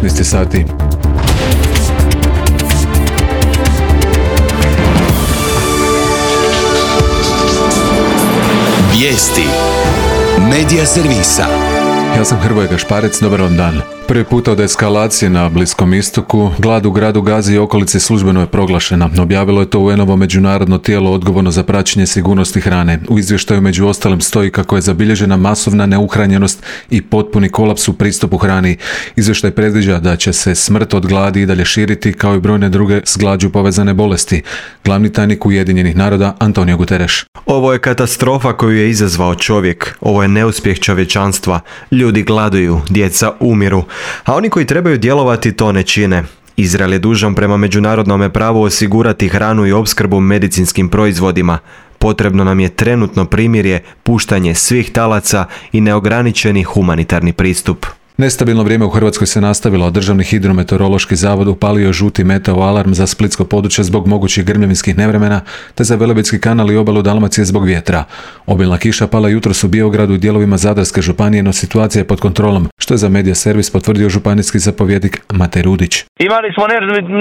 19 sati. Vijesti Medija servisa. Ja sam Hrvoje Gašparec, dobar vam dan. Prvi puta od eskalacije na Bliskom istoku, glad u gradu Gazi i okolici službeno je proglašena. Objavilo je to UN-ovo međunarodno tijelo odgovorno za praćenje sigurnosti hrane. U izvještaju među ostalim stoji kako je zabilježena masovna neuhranjenost i potpuni kolaps u pristupu hrani. Izvještaj predviđa da će se smrt od gladi i dalje širiti, kao i brojne druge s glađu povezane bolesti. Glavni tajnik Ujedinjenih naroda Antonio Guterres. Ovo je katastrofa koju je izazvao čovjek. Ovo je neuspjeh čovječanstva. Ljudi gladuju, djeca umiru, a oni koji trebaju djelovati to ne čine. Izrael je dužan prema međunarodnom pravu osigurati hranu i opskrbu medicinskim proizvodima. Potrebno nam je trenutno primirje, puštanje svih talaca i neograničeni humanitarni pristup. Nestabilno vrijeme u Hrvatskoj se nastavilo, a Državni hidrometeorološki zavod upalio žuti meteo alarm za splitsko područje zbog mogućih grmljavinskih nevremena, te za Velebitski kanal i obalu Dalmacije zbog vjetra. Obilna kiša pala jutros u Biogradu i dijelovima Zadarske županije, no situacija je pod kontrolom, što je za Medija servis potvrdio županijski zapovjednik Matej Rudić. Imali smo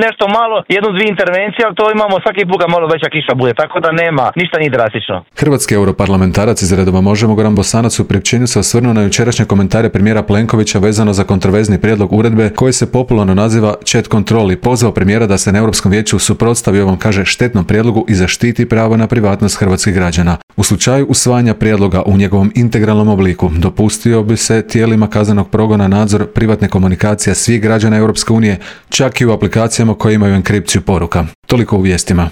nešto malo, jednu, dvije intervencije, ali to imamo svaki put kad malo veća kiša bude, tako da nema, ništa nije drastično. Hrvatski europarlamentarac iz redova Možemo Goran Bosanac u priopćenju se osvrnuo na jučerašnje komentare premijera Plenkovića vezano za kontroverzni prijedlog uredbe koji se popularno naziva chat control i pozvao premijera da se na Europskom vijeću suprotstavi ovom, kaže, štetnom prijedlogu i zaštiti pravo na privatnost hrvatskih građana. U slučaju usvajanja prijedloga u njegovom integralnom obliku dopustio bi se tijelima kaznenog progona nadzor privatne komunikacije svih građana Europske unije, čak i u aplikacijama koje imaju enkripciju poruka. Toliko u vijestima.